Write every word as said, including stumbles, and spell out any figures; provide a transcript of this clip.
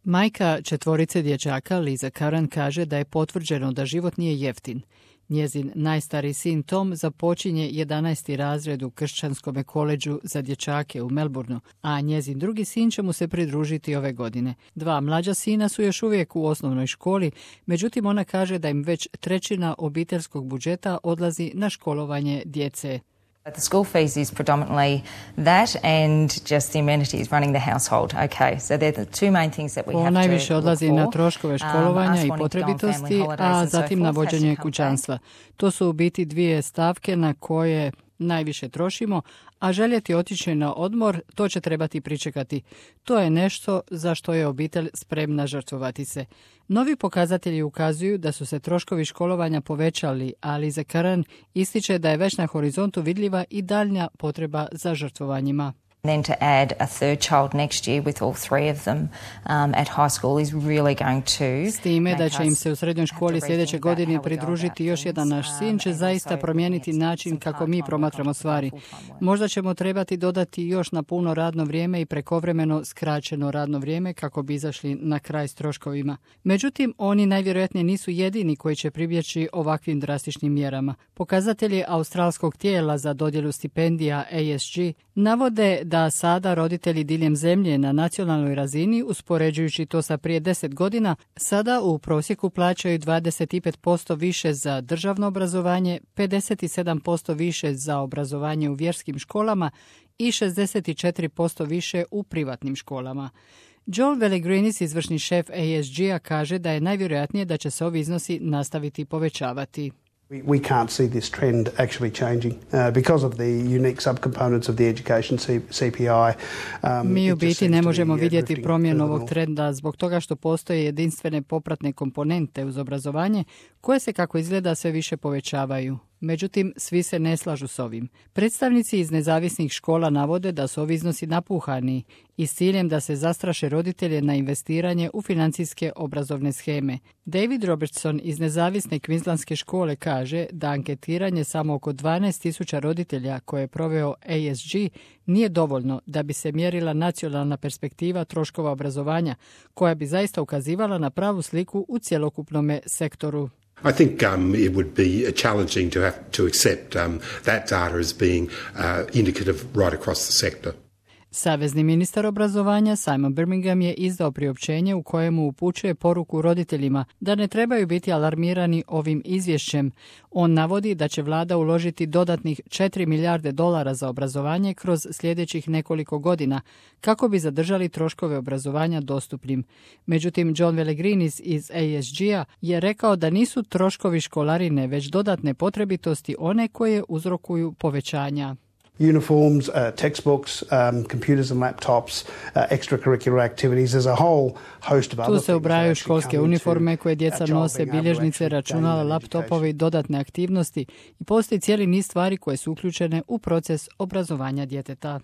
Majka četvorice dječaka, Liza Curran, kaže da je potvrđeno da život nije jeftin. Njezin najstariji sin Tom započinje jedanaesti razred u kršćanskom koledžu za dječake u Melbourneu, a njezin drugi sin će mu se pridružiti ove godine. Dva mlađa sina su još uvijek u osnovnoj školi, međutim ona kaže da im već trećina obiteljskog budžeta odlazi na školovanje djece. The school fees is predominantly that and just the amenities running the household. Okay, so they're the two main things that we have to look for. Najviše odlazi na troškove školovanja i potrebitosti, a zatim na vođenje kućanstva. To su u biti dvije stavke na koje najviše trošimo, a željeti otići na odmor, to će trebati pričekati. To je nešto za što je obitelj spremna žrtvovati se. Novi pokazatelji ukazuju da su se troškovi školovanja povećali, ali Liza Curran ističe da je već na horizontu vidljiva i daljnja potreba za žrtvovanjima. Then to add a third child next year with all three of them um, at high school is really going to... S time da će im se u srednjoj školi sljedeće godine pridružiti još jedan naš sin će zaista promijeniti način kako mi promatramo stvari. Možda ćemo trebati dodati još na puno radno vrijeme i prekovremeno skraćeno radno vrijeme kako bi izašli na kraj s troškovima. Međutim, oni najvjerojatnije nisu jedini koji će pribjeći ovakvim drastičnim mjerama. Pokazatelji australskog tijela za dodjelu stipendija A S G navode da sada roditelji diljem zemlje na nacionalnoj razini, uspoređujući to sa prije deset godina, sada u prosjeku plaćaju dvadeset pet posto više za državno obrazovanje, pedeset sedam posto više za obrazovanje u vjerskim školama i šezdeset četiri posto više u privatnim školama. Joel Veligrinis, izvršni šef A S G-a, kaže da je najvjerojatnije da će se ovi iznosi nastaviti povećavati. We, we can't see this trend actually changing uh, because of the unique subcomponents of the education C P I. Um, Mi u biti ne možemo vidjeti promjenu ovog trenda zbog toga što postoje jedinstvene popratne komponente uz obrazovanje koje se, kako izgleda, sve više povećavaju. Međutim, svi se ne slažu s ovim. Predstavnici iz nezavisnih škola navode da su ovi iznosi napuhani i s ciljem da se zastraše roditelje na investiranje u financijske obrazovne sheme. David Robertson iz nezavisne Queenslandske škole kaže da anketiranje samo oko dvanaest tisuća roditelja koje je proveo A S G nije dovoljno da bi se mjerila nacionalna perspektiva troškova obrazovanja, koja bi zaista ukazivala na pravu sliku u cjelokupnome sektoru. I think um, it would be challenging to have to accept um, that data as being uh, indicative right across the sector. Savezni ministar obrazovanja Simon Birmingham je izdao priopćenje u kojemu upućuje poruku roditeljima da ne trebaju biti alarmirani ovim izvješćem. On navodi da će vlada uložiti dodatnih četiri milijarde dolara za obrazovanje kroz sljedećih nekoliko godina kako bi zadržali troškove obrazovanja dostupnim. Međutim, John Veligrinis iz A S G-a je rekao da nisu troškovi školarine već dodatne potrebitosti one koje uzrokuju povećanja. Uniforms, uh, textbooks, um, computers and laptops, uh, extracurricular activities, as a whole host of other things. Tu se ubrajaju školske uniforme koje djeca nose, bilježnice, računala, laptopovi, dodatne aktivnosti i postoji cijeli niz stvari koje su uključene u proces obrazovanja djeteta.